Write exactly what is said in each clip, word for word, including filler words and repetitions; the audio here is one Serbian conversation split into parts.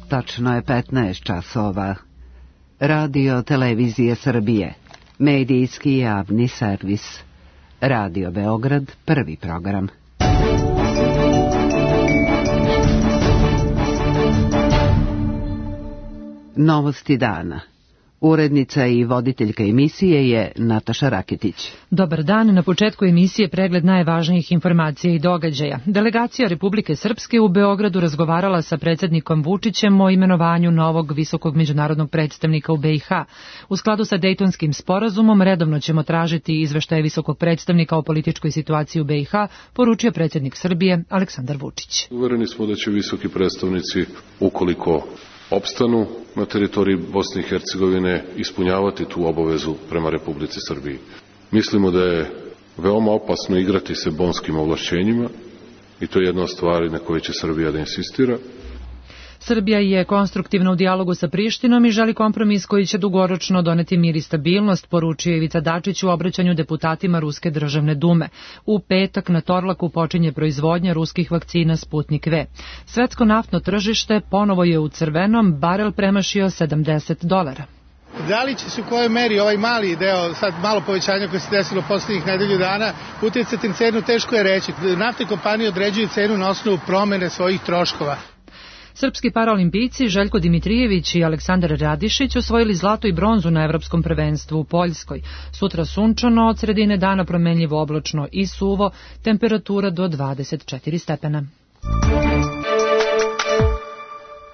Tačno je petnaest časova. Radio Televizije Srbije. Medijski javni servis. Radio Beograd, prvi program. Novosti dana. Urednica i voditeljka emisije je Nataša Raketić. Dobar dan, na početku emisije pregled najvažnijih informacija i događaja. Delegacija Republike Srpske u Beogradu razgovarala sa predsjednikom Vučićem o imenovanju novog visokog međunarodnog predstavnika u B i H. U skladu sa Dejtonskim sporazumom redovno ćemo tražiti izveštaje visokog predstavnika o političkoj situaciji u B i H, poručio predsjednik Srbije Aleksandar Vučić. Uvereni smo da će visoki predstavnici, ukoliko opstanu na teritoriji Bosne i Hercegovine, ispunjavati tu obavezu prema Republici Srbiji. Mislimo da je veoma opasno igrati se bonskim ovlašćenjima i to je jedna od stvari na kojoj će Srbija da insistira. Srbija je konstruktivna u dijalogu sa Prištinom i želi kompromis koji će dugoročno doneti mir i stabilnost, poručio Ivica Dačić u obraćanju deputatima Ruske državne dume. U petak na Torlaku počinje proizvodnja ruskih vakcina Sputnik V. Svetsko naftno tržište ponovo je u crvenom, barel premašio sedamdeset dolara. Da li će se u kojoj meri ovaj mali deo, sad malo povećanja koje se desilo poslednjih nedelju dana, uticati na cenu, teško je reći. Naftne kompanije određuju cenu na osnovu promene svojih troškova. Srpski paraolimpijci Željko Dimitrijević i Aleksandar Radišić osvojili zlato i bronzu na Evropskom prvenstvu u Poljskoj. Sutra sunčano, od sredine dana promenljivo oblačno i suvo, temperatura do dvadeset četiri stepena.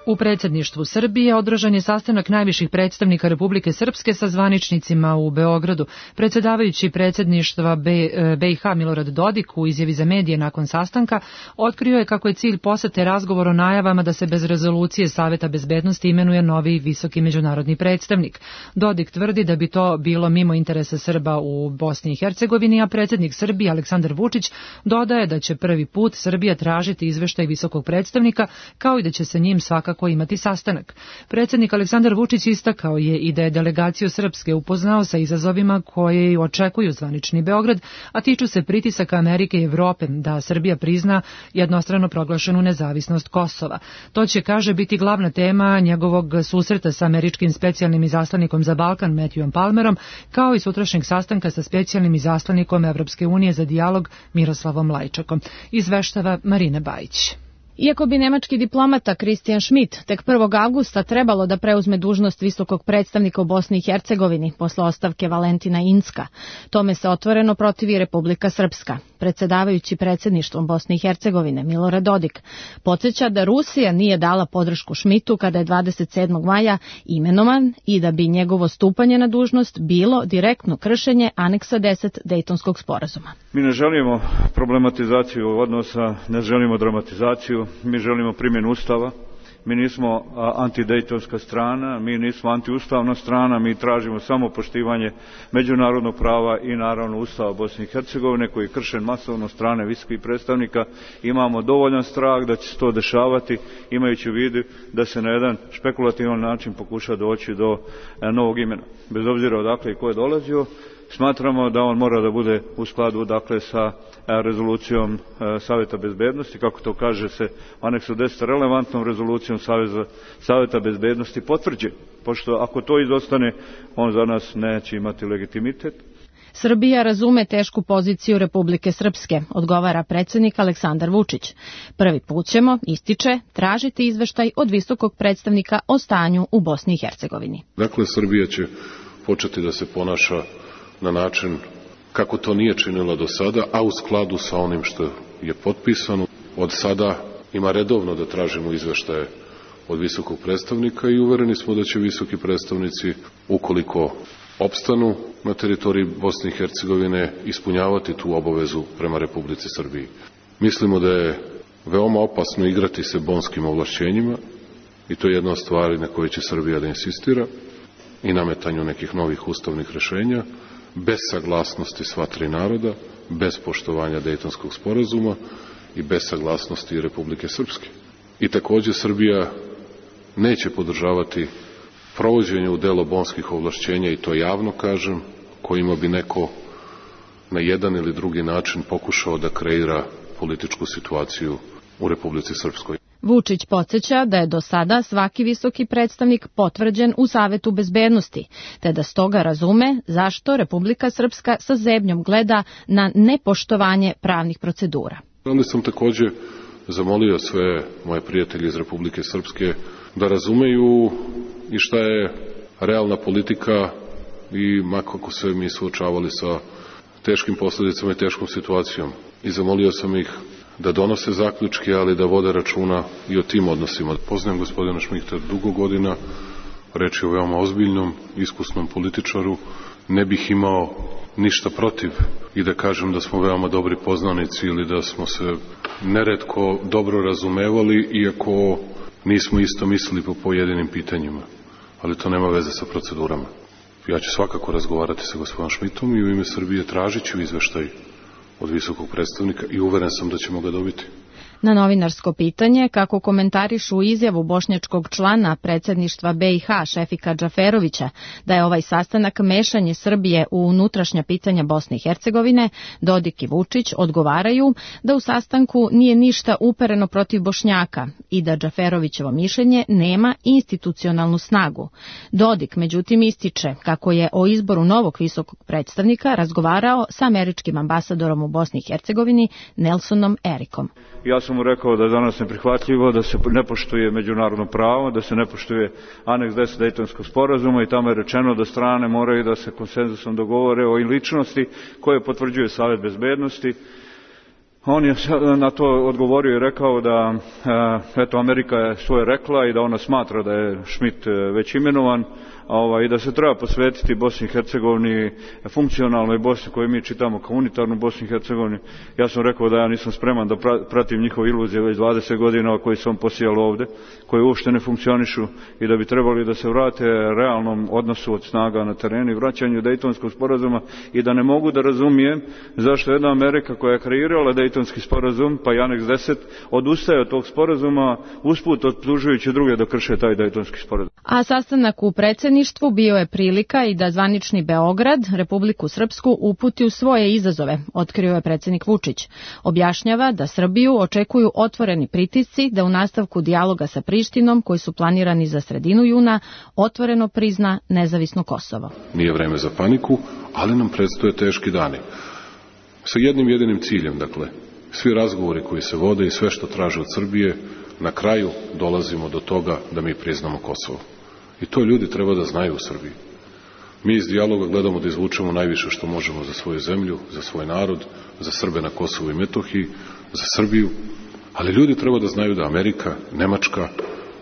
U predsjedništvu Srbije održan je sastanak najviših predstavnika Republike Srpske sa zvaničnicima u Beogradu. Predsjedavajući predsjedništva B i H Milorad Dodik u izjavi za medije nakon sastanka otkrio je kako je cilj posete razgovor o najavama da se bez rezolucije Saveta bezbednosti imenuje novi visoki međunarodni predstavnik. Dodik tvrdi da bi to bilo mimo interesa Srba u Bosni i Hercegovini, a predsjednik Srbije Aleksandar Vučić dodaje da će prvi put Srbija tražiti izveštaj visokog predstavnika, kao i da će se njim svakako kako imati sastanak. Predsjednik Aleksandar Vučić istakao je i da je delegaciju Srpske upoznao sa izazovima koje očekuju zvanični Beograd, a tiču se pritisaka Amerike i Evrope da Srbija prizna jednostrano proglašenu nezavisnost Kosova. To će, kaže, biti glavna tema njegovog susreta sa američkim specijalnim izaslanikom za Balkan Matthewom Palmerom, kao i sutrašnjeg sastanka sa specijalnim izaslanikom Evropske unije za dijalog Miroslavom Lajčakom. Izveštava Marina Bajić. Iako bi nemački diplomata Christian Schmidt tek prvog avgusta trebalo da preuzme dužnost visokog predstavnika u Bosni i Hercegovini posle ostavke Valentina Incka, tome se otvoreno protivi Republika Srpska. Predsjedavajući predsjedništvom Bosne i Hercegovine Milorad Dodik podsjeća da Rusija nije dala podršku Schmidtu kada je dvadeset sedmog maja imenovan i da bi njegovo stupanje na dužnost bilo direktno kršenje aneksa deset Dejtonskog sporazuma. Mi ne želimo problematizaciju odnosa, ne želimo dramatizaciju, mi želimo primjenu Ustava. Mi nismo antidejtonska strana, mi nismo antiustavna strana, mi tražimo samo poštivanje međunarodnog prava i naravno Ustava Bosne i Hercegovine koji je kršen masovno strane visokih predstavnika. Imamo dovoljan strah da će se to dešavati, imajući u vidu da se na jedan špekulativan način pokuša doći do novog imena. Bez obzira odakle i ko je dolazio, smatramo da on mora da bude u skladu dakle sa rezolucijom Saveta bezbednosti, kako to kaže se u aneksu deset, relevantnom rezolucijom Saveta bezbednosti potvrđen, pošto ako to izostane, on za nas neće imati legitimitet. Srbija razume tešku poziciju Republike Srpske, odgovara predsjednik Aleksandar Vučić. Prvi put ćemo, ističe, tražiti izveštaj od visokog predstavnika o stanju u Bosni i Hercegovini. Dakle, Srbija će početi da se ponaša na način kako to nije činila do sada, a u skladu sa onim što je potpisano. Od sada ima redovno da tražimo izveštaje od visokog predstavnika i uvereni smo da će visoki predstavnici, ukoliko opstanu na teritoriji Bosne i Hercegovine, ispunjavati tu obavezu prema Republici Srbiji. Mislimo da je veoma opasno igrati se bonskim ovlašćenjima i to je jedna od stvari na kojoj će Srbija da insistira i nametanju nekih novih ustavnih rešenja, bez saglasnosti sva tri naroda, bez poštovanja Dejtonskog sporazuma i bez saglasnosti Republike Srpske. I takođe Srbija neće podržavati provođenje u delo bonskih ovlašćenja, i to javno kažem, kojima bi neko na jedan ili drugi način pokušao da kreira političku situaciju u Republici Srpskoj. Vučić podsjeća da je do sada svaki visoki predstavnik potvrđen u Savetu bezbednosti, te da stoga razume zašto Republika Srpska sa zebnjom gleda na nepoštovanje pravnih procedura. Onda sam takođe zamolio sve moje prijatelje iz Republike Srpske da razumeju i šta je realna politika i makako se mi suočavali sa teškim posledicama i teškom situacijom. I zamolio sam ih da donose zaključke, ali da vode računa i o tim odnosima. Poznajem gospodina Šmita dugo godina, reč je o veoma ozbiljnom, iskusnom političaru. Ne bih imao ništa protiv i da kažem da smo veoma dobri poznanici ili da smo se neretko dobro razumevali, iako nismo isto mislili po pojedinim pitanjima. Ali to nema veze sa procedurama. Ja ću svakako razgovarati sa gospodinom Šmitom i u ime Srbije tražit ću izveštaj od visokog predstavnika i uveren sam da ćemo ga dobiti. Na novinarsko pitanje kako komentarišu izjavu bošnjačkog člana predsjedništva B i H Šefika Džaferovića da je ovaj sastanak mešanje Srbije u unutrašnja pitanja Bosne i Hercegovine, Dodik i Vučić odgovaraju da u sastanku nije ništa upereno protiv Bošnjaka i da Džaferovićevo mišljenje nema institucionalnu snagu. Dodik međutim ističe kako je o izboru novog visokog predstavnika razgovarao sa američkim ambasadorom u Bosni i Hercegovini Nelsonom Erikom. Ja sam mu rekao da je danas neprihvatljivo da se ne poštuje međunarodno pravo, da se ne poštuje aneks deset Dejtonskog sporazuma i tamo je rečeno da strane moraju da se konsenzusom dogovore o ličnosti koje potvrđuje Savet bezbednosti. On je na to odgovorio i rekao da eto Amerika je svoje rekla i da ona smatra da je Šmit već imenovan, i da se treba posvetiti Bosni i Hercegovini, funkcionalnoj Bosni koju mi čitamo kao unitarnu Bosni i Hercegovini. Ja sam rekao da ja nisam spreman da pratim njihove iluzije već dvadeset godina koji su on posijali ovde, koji uopšte ne funkcionišu i da bi trebali da se vrate realnom odnosu od snaga na terenu i vraćanju Dejtonskog sporazuma i da ne mogu da razumijem zašto jedna Amerika koja je kreirala Dejtonski sporazum, pa i aneks deset, odustaje od tog sporazuma, usput optužujući druge da krše taj Dejtonski sporazum. A sastanak u predsjedništvu bio je prilika i da zvanični Beograd Republiku Srpsku uputi u svoje izazove, otkrio je predsjednik Vučić. Objašnjava da Srbiju očekuju otvoreni pritisci da u nastavku dijaloga sa Prištinom, koji su planirani za sredinu juna, otvoreno prizna nezavisno Kosovo. Nije vreme za paniku, ali nam predstoje teški dani. Sa jednim jedinim ciljem, dakle, svi razgovori koji se vode i sve što traže od Srbije, na kraju dolazimo do toga da mi priznamo Kosovo. I to ljudi treba da znaju u Srbiji. Mi iz dijaloga gledamo da izvučemo najviše što možemo za svoju zemlju, za svoj narod, za Srbe na Kosovu i Metohiji, za Srbiju, ali ljudi treba da znaju da Amerika, Nemačka,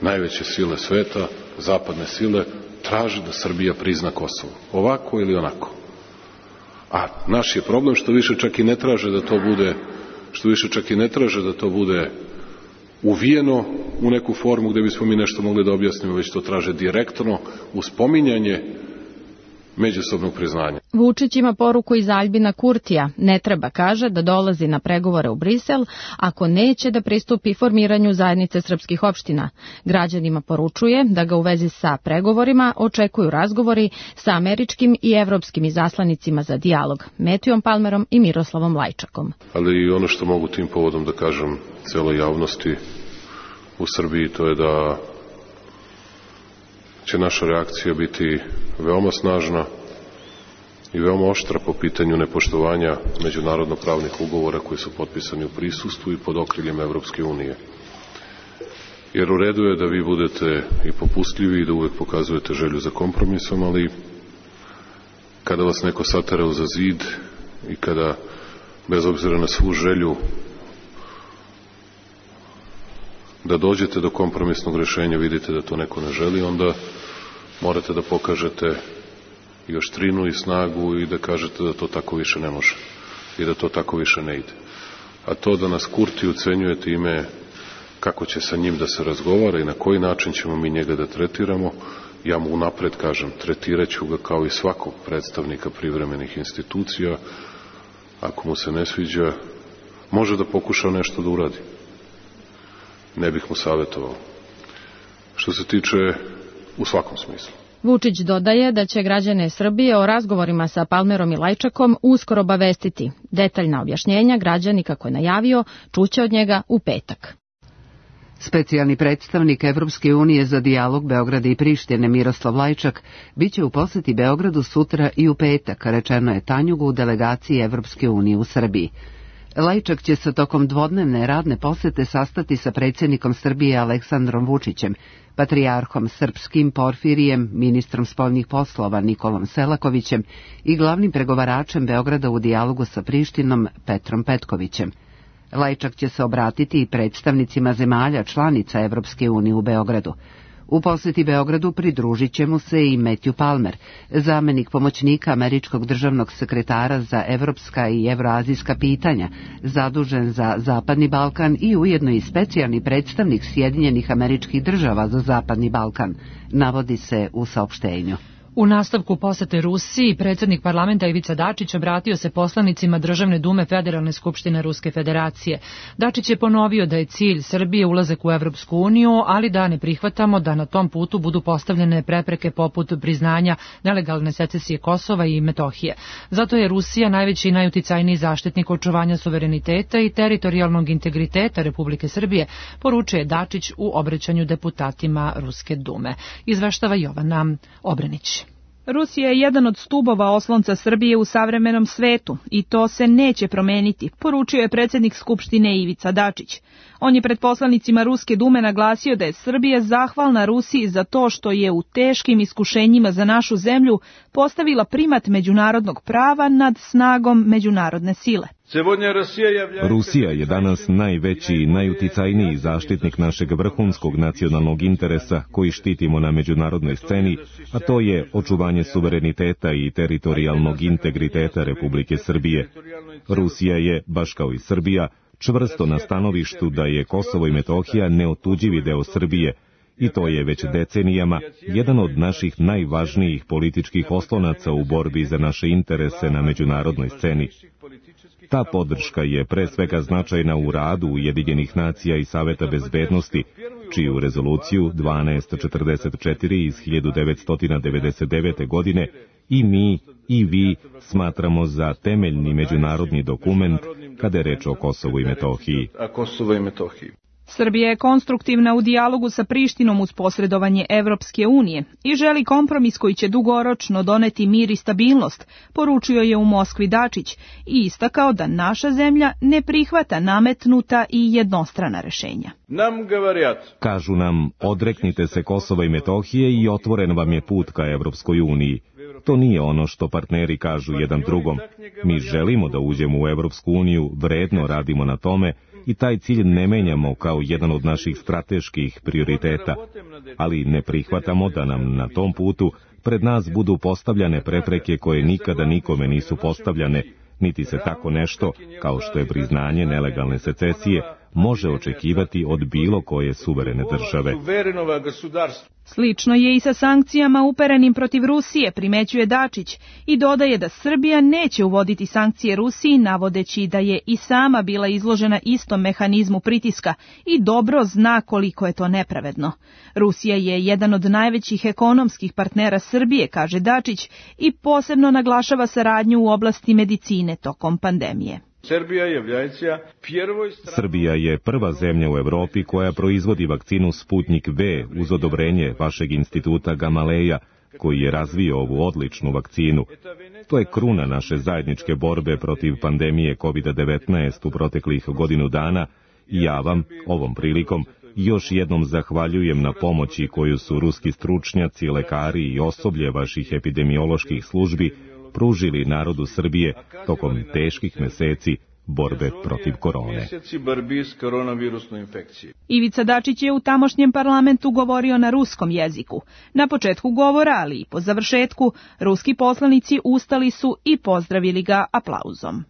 najveće sile sveta, zapadne sile, traže da Srbija prizna Kosovo. Ovako ili onako. A naš je problem što više čak i ne traže da to bude, što više čak i ne traže da to bude uvijeno u neku formu gde bismo mi nešto mogli da objasnimo, već to traže direktno uz spominjanje međusobnog priznanja. Vučić ima poruku iz Aljbina Kurtija. Ne treba, kaže, da dolazi na pregovore u Brisel ako neće da pristupi formiranju zajednice srpskih opština. Građanima poručuje da ga u vezi sa pregovorima očekuju razgovori sa američkim i evropskim izaslanicima za dijalog, Metijom Palmerom i Miroslavom Lajčakom. Ali i ono što mogu tim povodom da kažem celoj javnosti u Srbiji, to je da će naša reakcija biti veoma snažna i veoma oštra po pitanju nepoštovanja međunarodno pravnih ugovora koji su potpisani u prisustvu i pod okriljem Evropske unije. Jer u redu je da vi budete i popustljivi i da uvek pokazujete želju za kompromisom, ali kada vas neko satera uza zid i kada, bez obzira na svu želju da dođete do kompromisnog rešenja, vidite da to neko ne želi, onda morate da pokažete i oštrinu i snagu i da kažete da to tako više ne može i da to tako više ne ide. A to da nas Kurti ucenjuje time kako će sa njim da se razgovara i na koji način ćemo mi njega da tretiramo, ja mu unapred kažem, tretiraću ga kao i svakog predstavnika privremenih institucija. Ako mu se ne sviđa, može da pokuša nešto da uradi. Ne bih mu savjetovao. Što se tiče u svakom smislu. Vučić dodaje da će građane Srbije o razgovorima sa Palmerom i Lajčakom uskoro obavestiti. Detaljna objašnjenja građani, kako je najavio, čuće od njega u petak. Specijalni predstavnik Evropske unije za dijalog Beograda i Prištine Miroslav Lajčak biće u poseti Beogradu sutra i u petak, rečeno je Tanjugu u delegaciji Evropske unije u Srbiji. Lajčak će se tokom dvodnevne radne posete sastati sa predsjednikom Srbije Aleksandrom Vučićem, patrijarhom srpskim Porfirijem, ministrom spoljnih poslova Nikolom Selakovićem i glavnim pregovaračem Beograda u dijalogu sa Prištinom Petrom Petkovićem. Lajčak će se obratiti i predstavnicima zemalja članica Evropske unije u Beogradu. U posjeti Beogradu pridružit će mu se i Matthew Palmer, zamenik pomoćnika američkog državnog sekretara za evropska i evroazijska pitanja, zadužen za Zapadni Balkan i ujedno i specijalni predstavnik Sjedinjenih Američkih Država za Zapadni Balkan, navodi se u saopštenju. U nastavku posete Rusiji, predsjednik parlamenta Ivica Dačić obratio se poslanicima Državne dume Federalne skupštine Ruske federacije. Dačić je ponovio da je cilj Srbije ulazak u Evropsku uniju, ali da ne prihvatamo da na tom putu budu postavljene prepreke poput priznanja nelegalne secesije Kosova i Metohije. Zato je Rusija najveći i najuticajniji zaštitnik očuvanja suvereniteta i teritorijalnog integriteta Republike Srbije, poručuje Dačić u obraćanju deputatima Ruske dume. Izveštava Jovana Obrenić. Rusija je jedan od stubova oslonca Srbije u savremenom svetu i to se neće promeniti, poručio je predsjednik Skupštine Ivica Dačić. On je pred poslanicima Ruske dume naglasio da je Srbija zahvalna Rusiji za to što je u teškim iskušenjima za našu zemlju postavila primat međunarodnog prava nad snagom međunarodne sile. Rusija je danas najveći i najuticajniji zaštitnik našeg vrhunskog nacionalnog interesa koji štitimo na međunarodnoj sceni, a to je očuvanje suvereniteta i teritorijalnog integriteta Republike Srbije. Rusija je, baš kao i Srbija, čvrsto na stanovištu da je Kosovo i Metohija neotuđivi deo Srbije, i to je već decenijama jedan od naših najvažnijih političkih oslonaca u borbi za naše interese na međunarodnoj sceni. Ta podrška je pre svega značajna u radu Ujedinjenih nacija i Saveta bezbednosti, čiju rezoluciju dvanaest četrdeset četiri iz hiljadu devetsto devedeset devete. godine i mi i vi smatramo za temeljni međunarodni dokument kada je reč o Kosovu i Metohiji. Srbija je konstruktivna u dijalogu sa Prištinom uz posredovanje Evropske unije i želi kompromis koji će dugoročno doneti mir i stabilnost, poručio je u Moskvi Dačić i istakao da naša zemlja ne prihvata nametnuta i jednostrana rešenja. Kažu nam, odreknite se Kosova i Metohije i otvoren vam je put ka Evropskoj uniji. To nije ono što partneri kažu jedan drugom. Mi želimo da uđemo u Evropsku uniju, vredno radimo na tome i taj cilj ne menjamo kao jedan od naših strateških prioriteta, ali ne prihvatamo da nam na tom putu pred nas budu postavljane prepreke koje nikada nikome nisu postavljane, niti se tako nešto, kao što je priznanje nelegalne secesije, može očekivati od bilo koje suverene države. Slično je i sa sankcijama uperenim protiv Rusije, primećuje Dačić, i dodaje da Srbija neće uvoditi sankcije Rusiji, navodeći da je i sama bila izložena istom mehanizmu pritiska i dobro zna koliko je to nepravedno. Rusija je jedan od najvećih ekonomskih partnera Srbije, kaže Dačić, i posebno naglašava saradnju u oblasti medicine tokom pandemije. Srbija je prva zemlja u Evropi koja proizvodi vakcinu Sputnik V uz odobrenje vašeg instituta Gamaleja, koji je razvio ovu odličnu vakcinu. To je kruna naše zajedničke borbe protiv pandemije kovid devetnaest u proteklih godinu dana i ja vam, ovom prilikom, još jednom zahvaljujem na pomoći koju su ruski stručnjaci, lekari i osoblje vaših epidemioloških službi pružili narodu Srbije tokom teških meseci borbe protiv korone. Ivica Dačić je u tamošnjem parlamentu govorio na ruskom jeziku. Na početku govora, ali i po završetku, ruski poslanici ustali su i pozdravili ga aplauzom.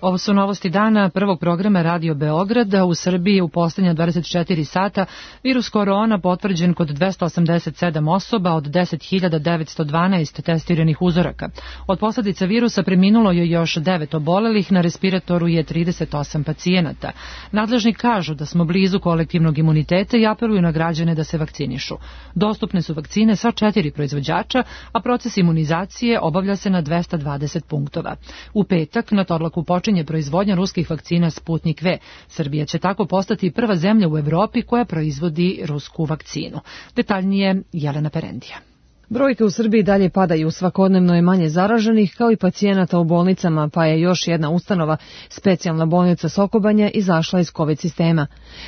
Ovo su novosti dana prvog programa Radio Beograda. U Srbiji u posljednja dvadeset četiri sata virus korona potvrđen kod dvesta osamdeset sedam osoba od deset hiljada devetsto dvanaest testiranih uzoraka. Od posljedica virusa preminulo je još devet obolelih, na respiratoru je trideset osam pacijenata. Nadležni kažu da smo blizu kolektivnog imuniteta i apeluju na građane da se vakcinišu. Dostupne su vakcine sva četiri proizvođača, a proces imunizacije obavlja se na dvesta dvadeset punktova. U petak na Torlaku počinje počinje proizvodnja ruskih vakcina Sputnik V. Srbija će tako postati prva zemlja u Evropi koja proizvodi rusku vakcinu. Detaljnije Jelena Perendija. Brojke u Srbiji dalje padaju, svakodnevno je manje zaraženih kao i pacijenata u bolnicama, pa je još jedna ustanova, specijalna bolnica Sokobanja, izašla iz COVID sistema.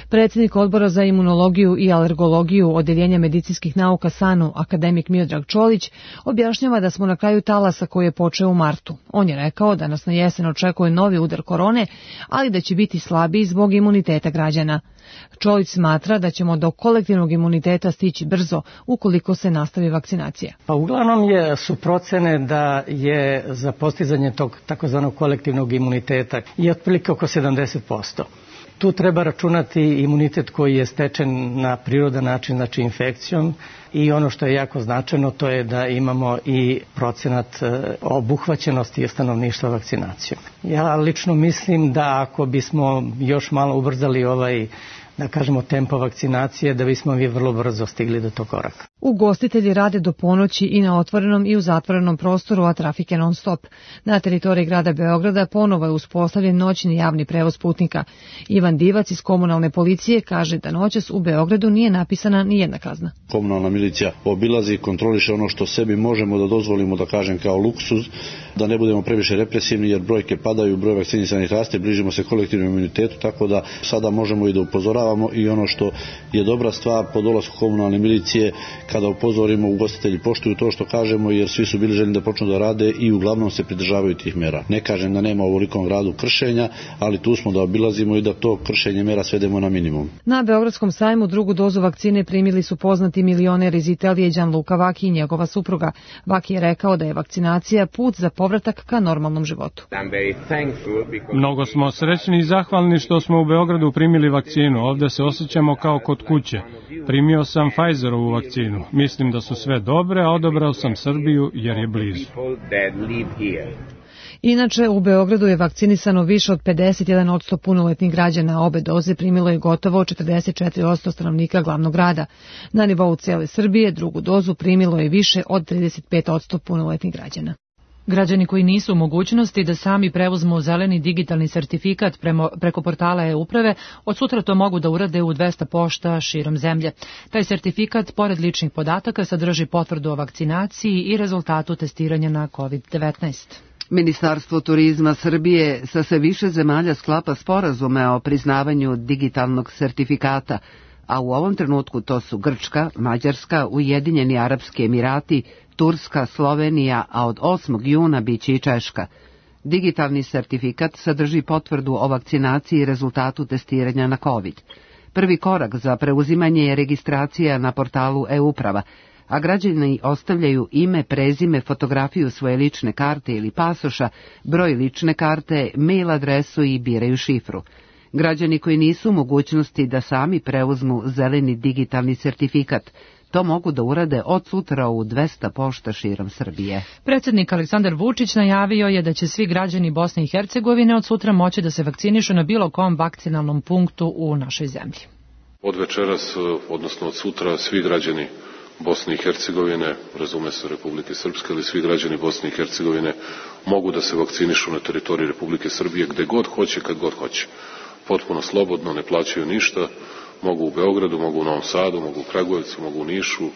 Predsjednik odbora za imunologiju i alergologiju Odeljenja medicinskih nauka SANU, akademik Miodrag Čolić, objašnjava da smo na kraju talasa koji je počeo u martu. On je rekao da nas na jesen očekuje novi udar korone, ali da će biti slabiji zbog imuniteta građana. Čolić smatra da ćemo do kolektivnog imuniteta stići brzo ukoliko se nastavi vakcinacija. Pa uglavnom je, su procene da je za postizanje tog takozvanog kolektivnog imuniteta i otprilike oko sedamdeset posto. Tu treba računati imunitet koji je stečen na prirodan način, znači infekcijom, i ono što je jako značajno to je da imamo i procenat obuhvaćenosti stanovništva vakcinacijom. Ja lično mislim da ako bismo još malo ubrzali ovaj, da kažemo, tempo vakcinacije, da bismo mi vrlo brzo stigli do tog koraka. Ugostitelji rade do ponoći i na otvorenom i u zatvorenom prostoru, a trafik je non stop. Na teritoriji grada Beograda ponovo je uspostavljen noćni javni prevoz putnika. Ivan Divac iz komunalne policije kaže da noćas u Beogradu nije napisana ni jedna kazna. Komunalna milicija obilazi i kontroliše ono što sebi možemo da dozvolimo, da kažem, kao luksuz, da ne budemo previše represivni jer brojke padaju, broj vakcinisanih raste, bližimo se kolektivnom imunitetu, tako da sada možemo i da upozoravamo i ono što je dobra stvar po dolasku komunalne milicije, kada upozorimo, ugostitelji poštuju to što kažemo jer svi su bili željni da počnu da rade i uglavnom se pridržavaju tih mera. Ne kažem da nema u ovolikom gradu kršenja, ali tu smo da obilazimo i da to kršenje mera svedemo na minimum. Na Beogradskom sajmu drugu dozu vakcine primili su poznati milioner iz Italije Gianluca Vaki i njegova supruga. Vaki je rekao da je vakcinacija put za povratak ka normalnom životu. Mnogo smo srećni i zahvalni što smo u Beogradu primili vakcinu. Ovde se osjećamo kao kod kuće. Primio sam Pfizerovu vakcinu. Mislim da su sve dobre, a odabrao sam Srbiju jer je blizu. Inače, u Beogradu je vakcinisano više od pedeset jedan posto punoletnih građana, obe doze primilo je gotovo četrdeset četiri posto stanovnika glavnog grada. Na nivou cele Srbije drugu dozu primilo je više od trideset pet posto punoletnih građana. Građani koji nisu u mogućnosti da sami preuzmu zeleni digitalni sertifikat premo, preko portala e-uprave, od sutra to mogu da urade u dvesta pošta širom zemlje. Taj sertifikat, pored ličnih podataka, sadrži potvrdu o vakcinaciji i rezultatu testiranja na kovid devetnaest. Ministarstvo turizma Srbije sa sve više zemalja sklapa sporazume o priznavanju digitalnog sertifikata, a u ovom trenutku to su Grčka, Mađarska, Ujedinjeni Arapski Emirati, Turska, Slovenija, a od osmog juna biće i Češka. Digitalni sertifikat sadrži potvrdu o vakcinaciji i rezultatu testiranja na COVID. Prvi korak za preuzimanje je registracija na portalu e-uprava, a građani ostavljaju ime, prezime, fotografiju svoje lične karte ili pasoša, broj lične karte, mail adresu i biraju šifru. Građani koji nisu u mogućnosti da sami preuzmu zeleni digitalni sertifikat, to mogu da urade od sutra u dvesta pošta širom Srbije. Predsjednik Aleksandar Vučić najavio je da će svi građani Bosne i Hercegovine od sutra moći da se vakcinišu na bilo kom vakcinalnom punktu u našoj zemlji. Od večeras, odnosno od sutra, svi građani Bosne i Hercegovine, razume se Republike Srpske, ali svi građani Bosne i Hercegovine mogu da se vakcinišu na teritoriji Republike Srbije gde god hoće, kad god hoće. Potpuno slobodno, ne plaćaju ništa, mogu u Beogradu, mogu u Novom Sadu, mogu u Kragujevcu, mogu u Nišu,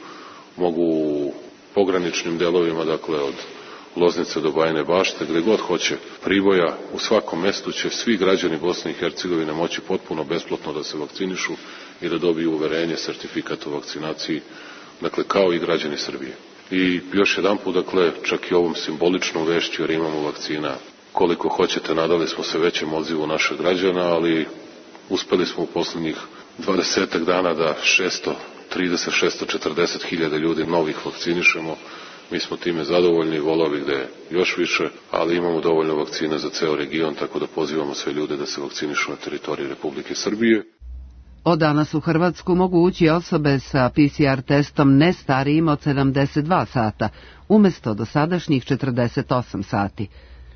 mogu u pograničnim delovima, dakle od Loznice do Bajine Bašte, gde god hoće, Priboja, u svakom mestu će svi građani Bosne i Hercegovine moći potpuno besplatno da se vakcinišu i da dobiju uverenje, sertifikat o vakcinaciji, dakle kao i građani Srbije. I još jedan put, dakle, čak i ovom simboličnom vešću, jer imamo vakcina koliko hoćete, nadali smo se većem odzivu naših građana, ali uspeli smo u poslednjih dvadesetak dana da šesto trideset do šesto četrdeset hiljada ljudi novih vakcinišemo. Mi smo time zadovoljni, volao bih da je još više, ali imamo dovoljno vakcina za ceo region, tako da pozivamo sve ljude da se vakcinišu na teritoriji Republike Srbije. Od danas u Hrvatsku mogu ući osobe sa P C R testom ne starijim od sedamdeset dva sata, umesto dosadašnjih četrdeset osam sati.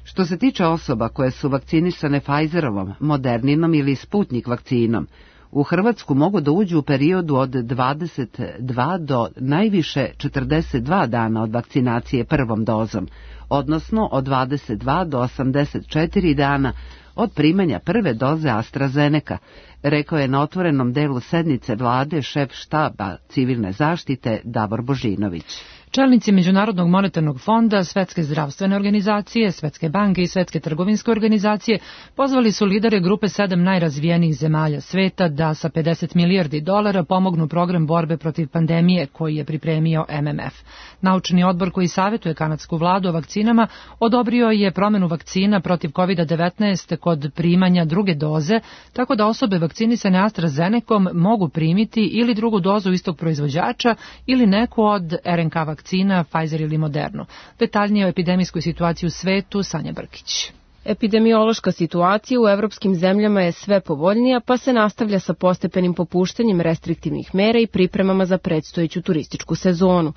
Što se tiče osoba koje su vakcinisane Pfizerovom, Moderninom ili Sputnik vakcinom, u Hrvatsku mogu da uđu u periodu od dvadeset dva do najviše četrdeset dva dana od vakcinacije prvom dozom, odnosno od dvadeset dva do osamdeset četiri dana od primanja prve doze AstraZeneca, rekao je na otvorenom delu sednice vlade šef štaba civilne zaštite Davor Božinović. Čelnici Međunarodnog monetarnog fonda, Svetske zdravstvene organizacije, Svetske banke i Svetske trgovinske organizacije pozvali su lidere grupe sedam najrazvijenijih zemalja sveta da sa pedeset milijardi dolara pomognu program borbe protiv pandemije koji je pripremio M M F. Naučni odbor koji savjetuje kanadsku vladu o vakcinama odobrio je promenu vakcina protiv kovid devetnaest kod primanja druge doze, tako da osobe vakcinisane AstraZenecom mogu primiti ili drugu dozu istog proizvođača ili neku od R N K vakcina. vakcina Pfizer ili Modernu. Detaljnije o epidemijskoj situaciji u svetu, Sanja Brkić. Epidemiološka situacija u evropskim zemljama je sve povoljnija, pa se nastavlja sa postepenim popuštanjem restriktivnih mera i pripremama za predstojeću turističku sezonu.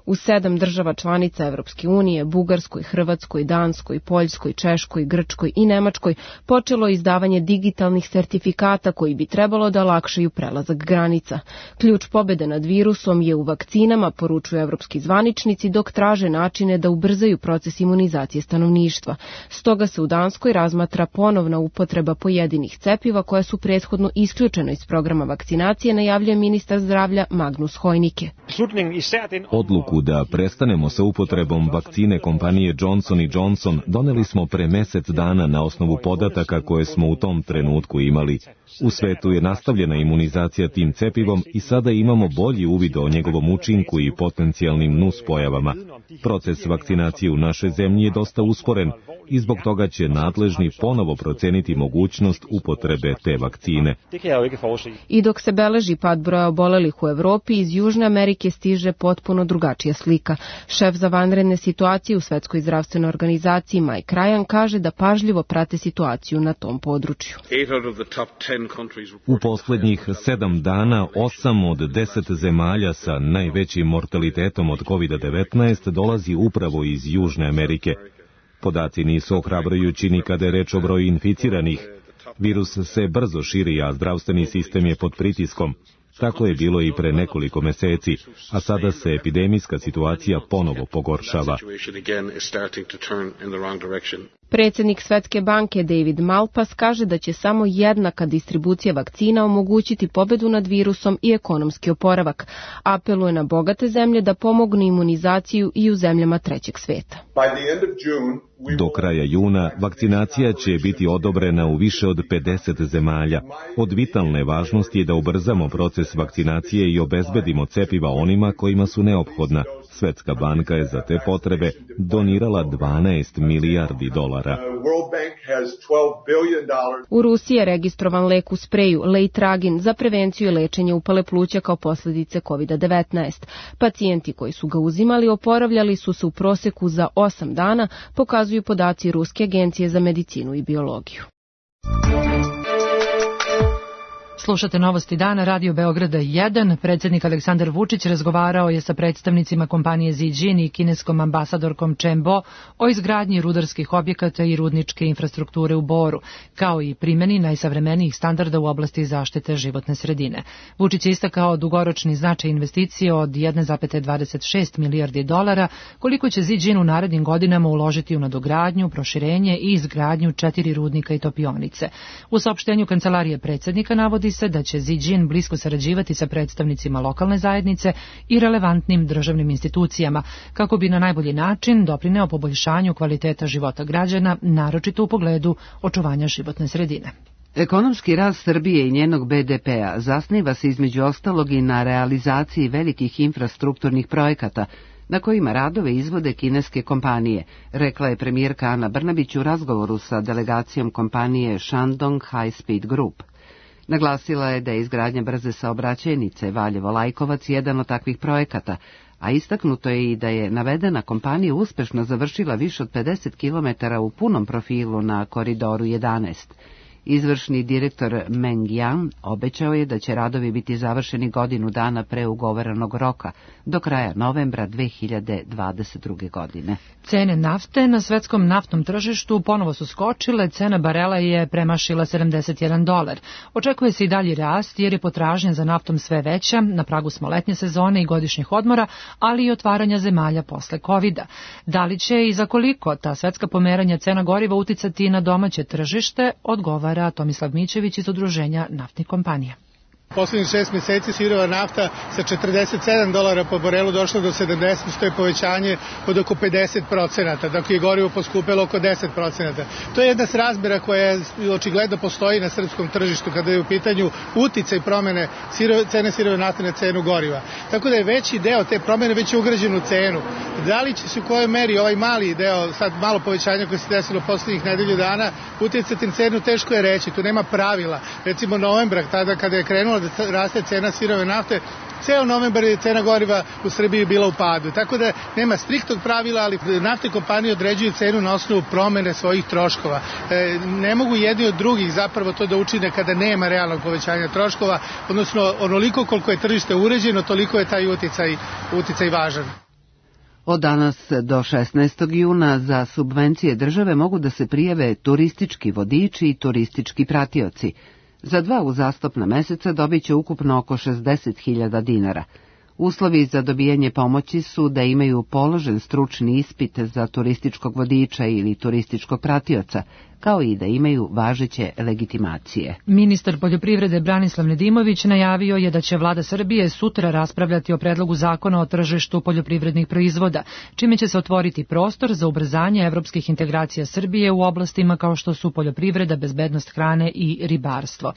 U sedam država članica Evropske unije, Bugarskoj, Hrvatskoj, Danskoj, Poljskoj, Češkoj, Grčkoj i Nemačkoj počelo je izdavanje digitalnih sertifikata koji bi trebalo da olakšaju prelazak granica. Ključ pobede nad virusom je u vakcinama, poručuju evropski zvaničnici, dok traže načine da ubrzaju proces imunizacije stanovništva. Stoga se u Danskoj razmatra ponovna upotreba pojedinih cepiva koja su prethodno isključena iz programa vakcinacije, najavljuje ministar zdravlja Magnus Heunicke. Odluku da prestanemo sa upotrebom vakcine kompanije Johnson and Johnson doneli smo pre mesec dana na osnovu podataka koje smo u tom trenutku imali. U svetu je nastavljena imunizacija tim cepivom i sada imamo bolji uvid o njegovom učinku i potencijalnim nuspojavama. Proces vakcinacije u našoj zemlji je dosta usporen i zbog toga će nadležni ponovo proceniti mogućnost upotrebe te vakcine. I dok se beleži pad broja obolelih u Evropi, iz Južne Amerike stiže potpuno drugačija slika. Šef za vanredne situacije u Svetskoj zdravstvenoj organizaciji Mike Ryan kaže da pažljivo prate situaciju na tom području. U poslednjih sedam dana osam od deset zemalja sa najvećim mortalitetom od kovid devetnaest dolazi upravo iz Južne Amerike. Podaci nisu ohrabrujući ni kada je reč o broju inficiranih. Virus se brzo širi, a zdravstveni sistem je pod pritiskom. Tako je bilo i pre nekoliko meseci, a sada se epidemijska situacija ponovo pogoršava. Predsjednik Svetske banke David Malpass kaže da će samo jednaka distribucija vakcina omogućiti pobedu nad virusom i ekonomski oporavak. Apeluje na bogate zemlje da pomognu imunizaciju i u zemljama trećeg sveta. Do kraja juna vakcinacija će biti odobrena u više od pedeset zemalja. Od vitalne važnosti je da ubrzamo proces vakcinacije i obezbedimo cepiva onima kojima su neophodna. Svetska banka je za te potrebe donirala dvanaest milijardi dolara. U Rusiji je registrovan lek u spreju Leitragin za prevenciju i lečenje upale pluća kao posljedice kovid devetnaest. Pacijenti koji su ga uzimali oporavljali su se u proseku za osam dana, pokazuju podaci Ruske agencije za medicinu i biologiju. Slušate Novosti dana, Radio Beograda jedan. Predsjednik Aleksandar Vučić razgovarao je sa predstavnicima kompanije Ziđin i kineskom ambasadorkom Chen Bo o izgradnji rudarskih objekata i rudničke infrastrukture u Boru, kao i primjeni najsavremenijih standarda u oblasti zaštite životne sredine. Vučić je istakao dugoročni značaj investicije od jedan zarez dvadeset šest milijardi dolara, koliko će Ziđin u narednim godinama uložiti u nadogradnju, proširenje i izgradnju četiri rudnika i topionice. U saopštenju kancelarije predsjednika navodi se da će Ziđin blisko sarađivati sa predstavnicima lokalne zajednice i relevantnim državnim institucijama, kako bi na najbolji način doprineo poboljšanju kvaliteta života građana, naročito u pogledu očuvanja životne sredine. Ekonomski rast Srbije i njenog be de pea zasniva se između ostalog i na realizaciji velikih infrastrukturnih projekata, na kojima radove izvode kineske kompanije, rekla je premijerka Ana Brnabić u razgovoru sa delegacijom kompanije Shandong High Speed Group. Naglasila je da je izgradnja brze saobraćajnice Valjevo-Lajkovac jedan od takvih projekata, a istaknuto je i da je navedena kompanija uspešno završila više od pedeset kilometara u punom profilu na koridoru jedanaest. Izvršni direktor Meng Yang obećao je da će radovi biti završeni godinu dana pre ugovorenog roka, do kraja novembra dve hiljade dvadeset druge. godine. Cene nafte na svetskom naftnom tržištu ponovo su skočile, cena barela je premašila sedamdeset jedan dolar. Očekuje se i dalji rast jer je potražnja za naftom sve veća, na pragu smo letnje sezone i godišnjih odmora, ali i otvaranja zemalja posle kovida. Da li će i za koliko ta svetska pomeranja cena goriva uticati na domaće tržište, odgovara Tomislav Mićević iz Udruženja naftnih kompanija. Poslednjih šest meseci sirova nafta sa četrdeset sedam dolara po barelu došla do sedamdeset, što je povećanje od oko pedeset procenata, dok je gorivo poskupelo oko deset procenata. To je jedna srazmera koja očigledno postoji na srpskom tržištu kada je u pitanju uticaj promene sirove, cene sirove nafte na cenu goriva. Tako da je veći deo te promene već ugrađen u cenu. Da li će se u kojoj meri ovaj mali deo, sad malo povećanja koje se desilo poslednjih nedelju dana, uticati na cenu, teško je reći, tu nema pravila. Recimo novembra, tada kada je krenula da raste cena sirove nafte, ceo novembar je cena goriva u Srbiji bila u padu. Tako da nema striktnog pravila, ali naftne kompanije određuju cenu na osnovu promene svojih troškova. E, ne mogu jedni od drugih zapravo to da učine kada nema realnog povećanja troškova, odnosno onoliko koliko je tržište uređeno, toliko je taj uticaj, uticaj važan. Od danas do šesnaestog juna za subvencije države mogu da se prijave turistički vodiči i turistički pratioci. Za dva uzastopna meseca dobit će ukupno oko šezdeset hiljada dinara. Uslovi za dobijanje pomoći su da imaju položen stručni ispit za turističkog vodiča ili turističkog pratioca, kao i da imaju važeće legitimacije. Ministar poljoprivrede Branislav Nedimović najavio je da će vlada Srbije sutra raspravljati o predlogu zakona o tržištu poljoprivrednih proizvoda, čime će se otvoriti prostor za ubrzanje evropskih integracija Srbije u oblastima kao što su poljoprivreda, bezbednost hrane i ribarstvo.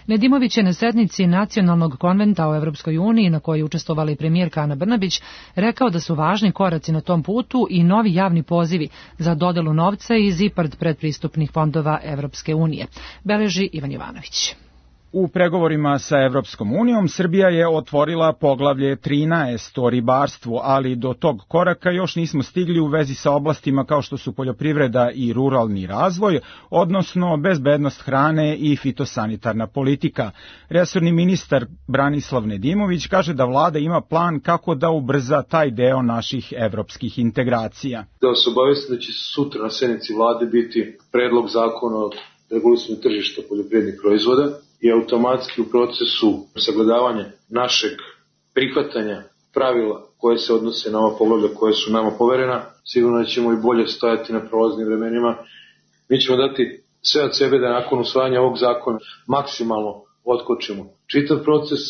Nedimović je na sednici Nacionalnog konventa o Evropskoj uniji, na kojoj je učestvovala i premijerka Ana Brnabić, rekao da su važni koraci na tom putu i novi javni pozivi za dodelu novca iz IPARD predpristupnih fondova Evropske unije, beleži Ivan Jovanović. U pregovorima sa Evropskom unijom Srbija je otvorila poglavlje trinaest o ribarstvu, ali do tog koraka još nismo stigli u vezi sa oblastima kao što su poljoprivreda i ruralni razvoj, odnosno bezbednost hrane i fitosanitarna politika. Resorni ministar Branislav Nedimović kaže da vlada ima plan kako da ubrza taj deo naših evropskih integracija. Da vas obavestim da će sutra na sednici vlade biti predlog zakona o regulisanju tržišta poljoprivrednih proizvoda i automatski u procesu sagledavanja našeg prihvatanja pravila koje se odnose na ova poglavlja koje su nama poverena, sigurno da ćemo i bolje stojati na prolaznim vremenima. Mi ćemo dati sve od sebe da nakon usvajanja ovog zakona maksimalno otkočimo čitav proces.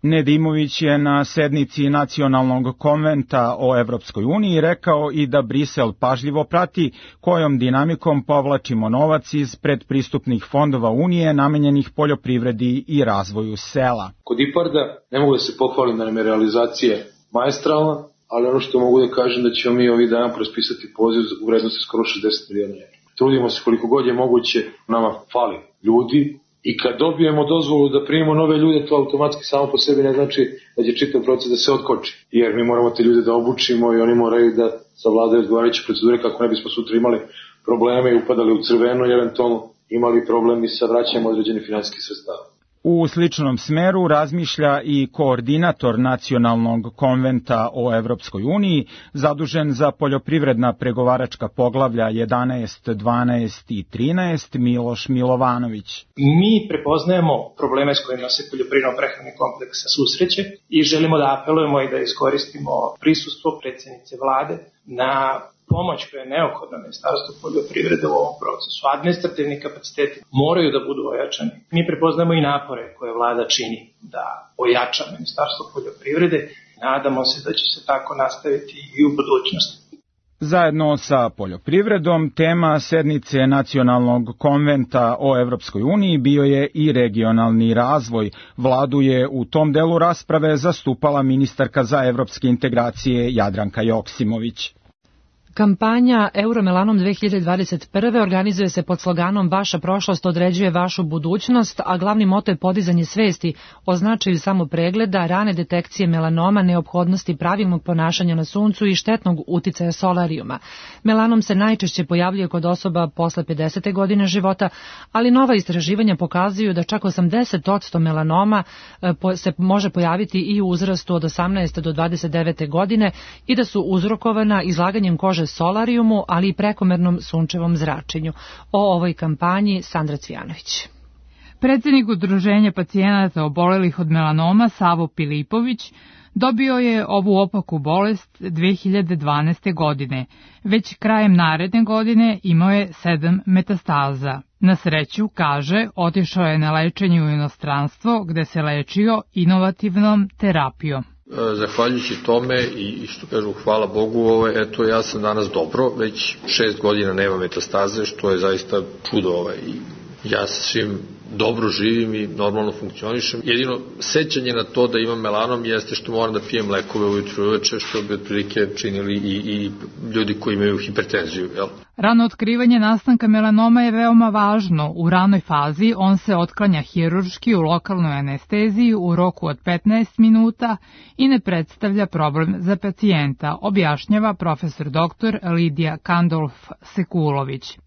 Nedimović je na sednici Nacionalnog konventa o Evropskoj uniji rekao i da Brisel pažljivo prati kojom dinamikom povlačimo novac iz predpristupnih fondova Unije namenjenih poljoprivredi i razvoju sela. Kod IPARD-a ne mogu da se pohvalim da nam je realizacija maestralna, ali ono što mogu da kažem da ćemo mi ovih dana prospisati poziv u vrednosti skoro šezdeset miliona evra. Trudimo se koliko god je moguće, nama fali ljudi. I kad dobijemo dozvolu da primimo nove ljude, to automatski samo po sebi ne znači da će čitav proces da se otkoči. Jer mi moramo te ljude da obučimo i oni moraju da savladaju odgovarajuće procedure kako ne bismo sutra imali probleme i upadali u crveno i eventualno imali problemi sa vraćanjem određenih finansijskih sredstava. U sličnom smeru razmišlja i koordinator Nacionalnog konventa o Evropskoj uniji, zadužen za poljoprivredna pregovaračka poglavlja jedanaest, dvanaest i trinaest, Miloš Milovanović. Mi prepoznajemo probleme s kojima se poljoprivredno-prehrambeni kompleks susreće i želimo da apelujemo i da iskoristimo prisustvo predsjednice vlade na pomoć koja je neophodna Ministarstvu poljoprivrede u ovom procesu. Administrativni kapaciteti moraju da budu ojačani. Mi prepoznamo i napore koje vlada čini da ojača Ministarstvo poljoprivrede. Nadamo se da će se tako nastaviti i u budućnosti. Zajedno sa poljoprivredom, tema sednice Nacionalnog konventa o Evropskoj uniji bio je i regionalni razvoj. Vladu je u tom delu rasprave zastupala ministarka za evropske integracije Jadranka Joksimović. Kampanja Euromelanom dve hiljade dvadeset prve organizuje se pod sloganom Vaša prošlost određuje vašu budućnost, a glavni moto je podizanje svesti o značaju samopregleda, rane detekcije melanoma, neophodnosti pravilnog ponašanja na suncu i štetnog uticaja solarijuma. Melanom se najčešće pojavljuje kod osoba posle pedesete godine života, ali nova istraživanja pokazuju da čak osamdeset posto melanoma se može pojaviti i u uzrastu od osamnaeste do dvadeset devete godine i da su uzrokovana izlaganjem kože solarijumu, ali i prekomernom sunčevom zračenju. O ovoj kampanji Sandra Cvijanović. Predsednik Udruženja pacijenata obolelih od melanoma Savo Pilipović dobio je ovu opaku bolest dve hiljade dvanaeste. godine. Već krajem naredne godine imao je sedam metastaza. Na sreću, kaže, otišao je na lečenje u inostranstvo gde se lečio inovativnom terapijom. Zahvaljujući tome i što kažu hvala Bogu, ovaj, eto ja sam danas dobro, već šest godina nema metastaze, što je zaista čudo. Ovaj. Ja sa svim dobro živim i normalno funkcionišem. Jedino sećanje na to da imam melanom jeste što moram da pijem lekove ujutru i uveče, što bi otprilike činili i, i ljudi koji imaju hipertenziju. Jel? Rano otkrivanje nastanka melanoma je veoma važno. U ranoj fazi on se otklanja hirurški u lokalnoj anesteziji u roku od petnaest minuta i ne predstavlja problem za pacijenta, objašnjava profesor doktor Lidija Kandolf-Sekulović.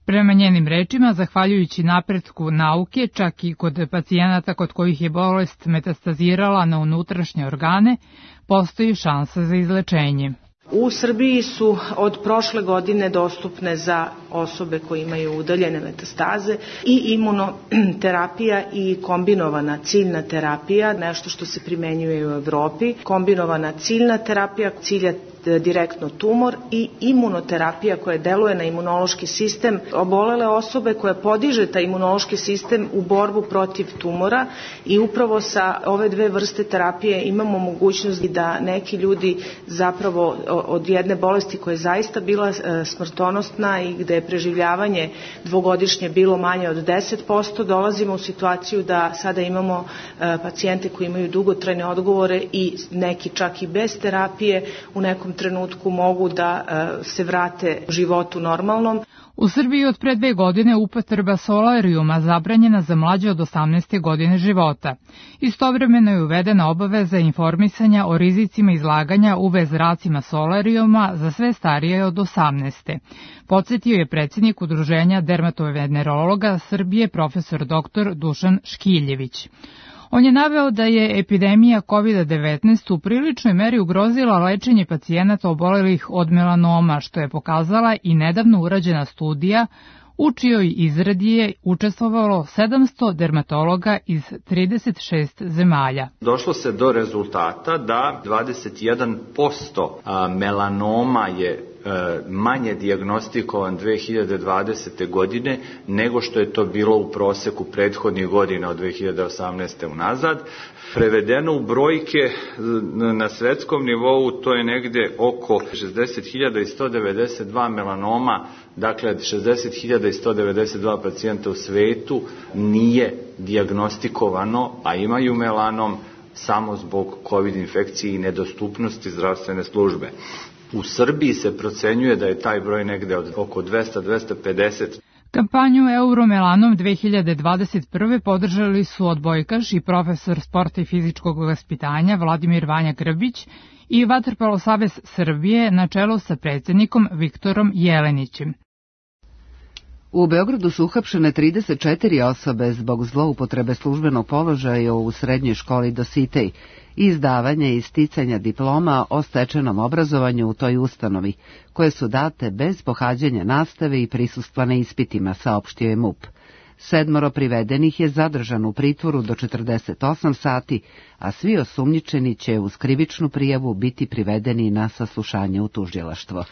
Prema njenim rečima, zahvaljujući napretku nauke, čak i kod pacijenata kod kojih je bolest metastazirala na unutrašnje organe, postoji šansa za izlečenje. U Srbiji su od prošle godine dostupne za osobe koje imaju udaljene metastaze i imunoterapija i kombinovana ciljna terapija, nešto što se primenjuje u Evropi. Kombinovana ciljna terapija cilja direktno tumor i imunoterapija koja deluje na imunološki sistem obolele osobe koja podiže taj imunološki sistem u borbu protiv tumora i upravo sa ove dve vrste terapije imamo mogućnost da neki ljudi zapravo od jedne bolesti koja je zaista bila smrtonosna i gde je preživljavanje dvogodišnje bilo manje od deset posto, dolazimo u situaciju da sada imamo pacijente koji imaju dugotrajne odgovore i neki čak i bez terapije u nekom trenutku mogu da se vrate životu normalnom. U Srbiji od pre dve godine upotreba solarijuma zabranjena za mlađe od osamnaeste godine života. Istovremeno je uvedena obaveza informisanja o rizicima izlaganja U V zracima solarijuma za sve starije od osamnaeste. Podsjetio je predsjednik Udruženja dermatovenerologa Srbije profesor doktor Dušan Škiljević. On je naveo da je epidemija kovid devetnaest u priličnoj meri ugrozila lečenje pacijenata obolelih od melanoma, što je pokazala i nedavno urađena studija u čijoj izradi je učestvovalo sedamsto dermatologa iz trideset šest zemalja. Došlo se do rezultata da dvadeset jedan posto melanoma je manje dijagnostikovan dve hiljade dvadesete. godine nego što je to bilo u proseku prethodnih godina od dve hiljade osamnaeste. unazad. Prevedeno u brojke na svetskom nivou to je negde oko šezdeset hiljada sto devedeset dva melanoma, dakle šezdeset hiljada sto devedeset dva pacijenta u svetu nije dijagnostikovano, a imaju melanom samo zbog COVID infekcije i nedostupnosti zdravstvene službe. U Srbiji se procenjuje da je taj broj negde od oko dvesta do dvesta pedeset. Kampanju Euromelanom dve hiljade dvadeset prve. podržali su odbojkaš i profesor sporta i fizičkog vaspitanja Vladimir Vanja Grbić i Vaterpolo savez Srbije na čelu sa predsjednikom Viktorom Jelenićem. U Beogradu su uhapšene trideset četiri osobe zbog zloupotrebe službenog položaja u srednjoj školi Dositej i izdavanja i sticanja diploma o stečenom obrazovanju u toj ustanovi, koje su date bez pohađanja nastave i prisustva na ispitima, saopštio je MUP. Sedmoro privedenih je zadržano u pritvoru do četrdeset osam sati, a svi osumnjičeni će uz krivičnu prijavu biti privedeni na saslušanje u tužilaštvo.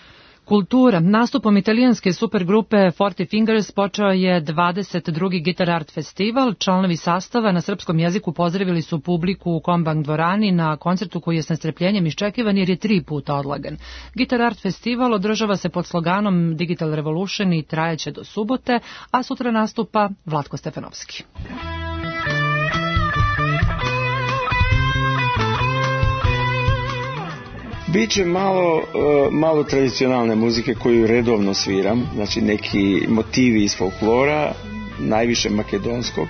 Kultura. Nastupom italijanske supergrupe Forty Fingers počeo je dvadeset drugi Guitar Art Festival. Članovi sastava na srpskom jeziku pozdravili su publiku u Kombank dvorani na koncertu koji je s nestrpljenjem iščekivan jer je tri puta odlagan. Guitar Art Festival održava se pod sloganom Digital Revolution i trajeće do subote, a sutra nastupa Vlatko Stefanovski. Biće malo, malo tradicionalne muzike koju redovno sviram, znači neki motivi iz folklora, najviše makedonskog.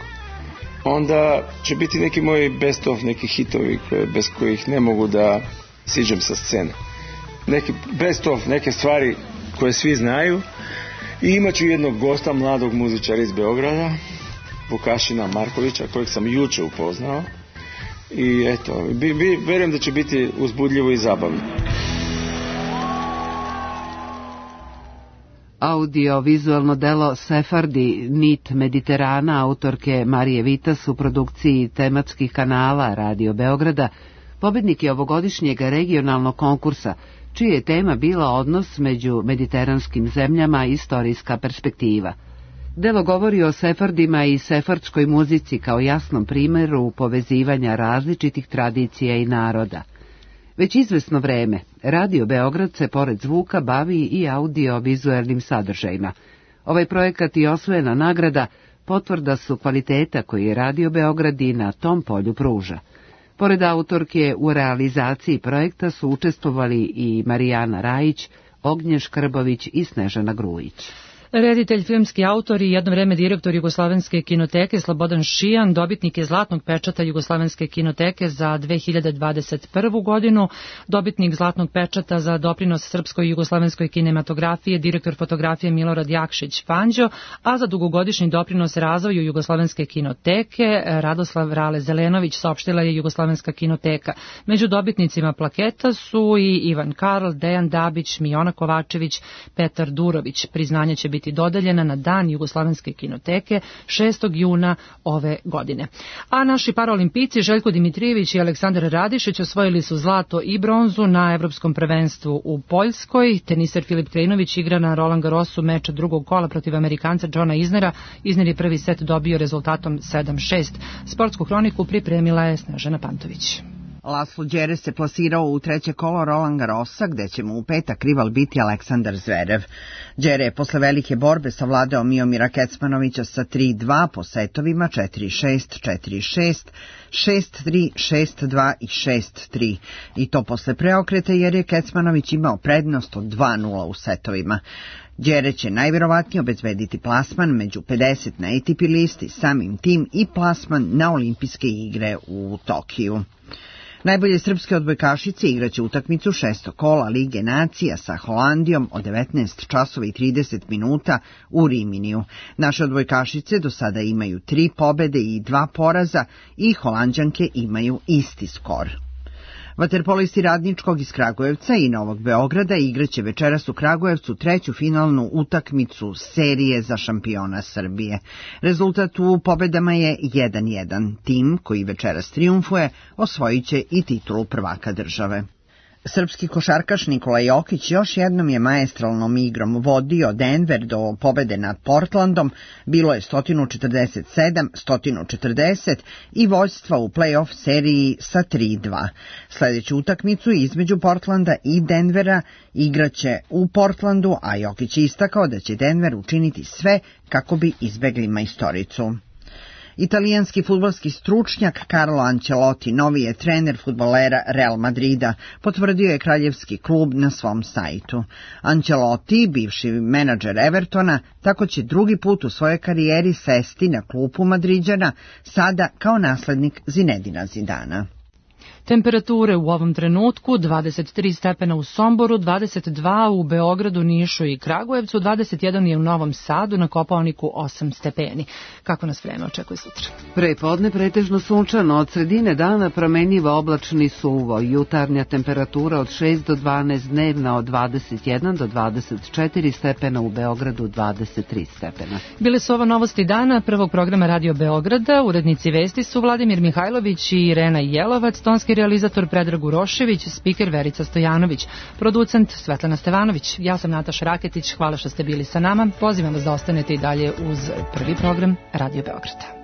Onda će biti neki moji best of, neki hitovi bez kojih ne mogu da siđem sa scene. Neki best of, neke stvari koje svi znaju. I imat ću jednog gosta, mladog muzičara iz Beograda, Vukašina Markovića, kojeg sam juče upoznao. I eto, bi, bi, verujem da će biti uzbudljivo i zabavno. Audio-vizualno delo Sefardi, Nit Mediterana, autorke Marije Vitas u produkciji tematskih kanala Radio Beograda, pobednik je ovogodišnjeg regionalnog konkursa, čija je tema bila odnos među mediteranskim zemljama i istorijska perspektiva. Delo govori o sefardima i sefardskoj muzici kao jasnom primjeru povezivanja različitih tradicija i naroda. Već izvesno vreme, Radio Beograd se pored zvuka bavi i audio-vizuelnim sadržajima. Ovaj projekat i osvojena nagrada potvrda su kvaliteta koji Radio Beograd i na tom polju pruža. Pored autorke u realizaciji projekta su učestvovali i Marijana Rajić, Ognjen Škrbović i Snežana Grujić. Reditelj, filmski autor i jedno vreme direktor Jugoslovenske kinoteke Slobodan Šijan, dobitnik je Zlatnog pečata Jugoslovenske kinoteke za dve hiljade dvadeset prvu godinu, dobitnik Zlatnog pečata za doprinos srpskoj i jugoslovenskoj kinematografije, direktor fotografije Milorad Jakšić Panđo, a za dugogodišnji doprinos razvoju Jugoslovenske kinoteke Radoslav Rale Zelenović, saopštila je Jugoslovenska kinoteka. Među dobitnicima plaketa su i Ivan Karl, Dejan Dabić, Mijona Kovačević, Petar Durović. Priznanje će biti dodeljena na Dan Jugoslovenske kinoteke šestog juna ove godine. A naši paraolimpijci Željko Dimitrijević i Aleksandar Radišić osvojili su zlato i bronzu na Evropskom prvenstvu u Poljskoj. Teniser Filip Krejnović igra na Roland Garrosu meča drugog kola protiv Amerikanca Johna Isnera. Isner je prvi set dobio rezultatom sedam šest. Sportsku hroniku pripremila je Snežana Pantović. Laslo Đere se plasirao u treće kolo Roland Garrosa, gde će mu u petak rival biti Aleksandar Zverev. Đere je posle velike borbe savladao Miomira Kecmanovića sa tri dva po setovima četiri šest, četiri šest, šest tri, šest dva i šest tri. I to posle preokreta jer je Kecmanović imao prednost od dva nula u setovima. Đere će najvjerovatnije obezbediti plasman među pedeset na A T P listi, samim tim i plasman na olimpijske igre u Tokiju. Najbolje srpske odbojkašice igraće utakmicu šestog kola Lige nacija sa Holandijom od devetnaest časova i trideset minuta u Riminiju. Naše odbojkašice do sada imaju tri pobede i dva poraza i Holanđanke imaju isti skor. Vaterpolisti Radničkog iz Kragujevca i Novog Beograda igraće večeras u Kragujevcu treću finalnu utakmicu serije za šampiona Srbije. Rezultat u pobedama je jedan jedan. Tim koji večeras trijumfuje osvojit će i titulu prvaka države. Srpski košarkaš Nikola Jokić još jednom je maestralnom igrom vodio Denver do pobede nad Portlandom, bilo je sto četrdeset sedam sto četrdeset i vođstva u play-off seriji sa tri dva. Sljedeću utakmicu između Portlanda i Denvera igraće u Portlandu, a Jokić je istakao da će Denver učiniti sve kako bi izbegli majstoricu. Italijanski fudbalski stručnjak Carlo Ancelotti novi je trener fudbalera Real Madrida, potvrdio je kraljevski klub na svom sajtu. Ancelotti, bivši menadžer Evertona, tako će drugi put u svojoj karijeri sesti na klupu Madriđana, sada kao naslednik Zinedina Zidana. Temperature u ovom trenutku dvadeset tri stepena u Somboru, dvadeset dva u Beogradu, Nišu i Kragujevcu, dvadeset jedan je u Novom Sadu, na Kopaoniku osam stepeni. Kako nas vreme očekuje sutra? Prepodne pretežno sunčano, od sredine dana promenjivo oblačni suvo, jutarnja temperatura od šest do dvanaest, dnevna od dvadeset jedan do dvadeset četiri stepena, u Beogradu dvadeset tri stepena. Bile su ovo novosti dana prvog programa Radio Beograda, urednici vesti su Vladimir Mihajlović i Irena Jelovac, tonski realizator Predrag Urošević, spiker Verica Stojanović, producent Svetlana Stevanović. Ja sam Nataša Raketić, hvala što ste bili sa nama. Pozivam vas da ostanete i dalje uz prvi program Radio Beograda.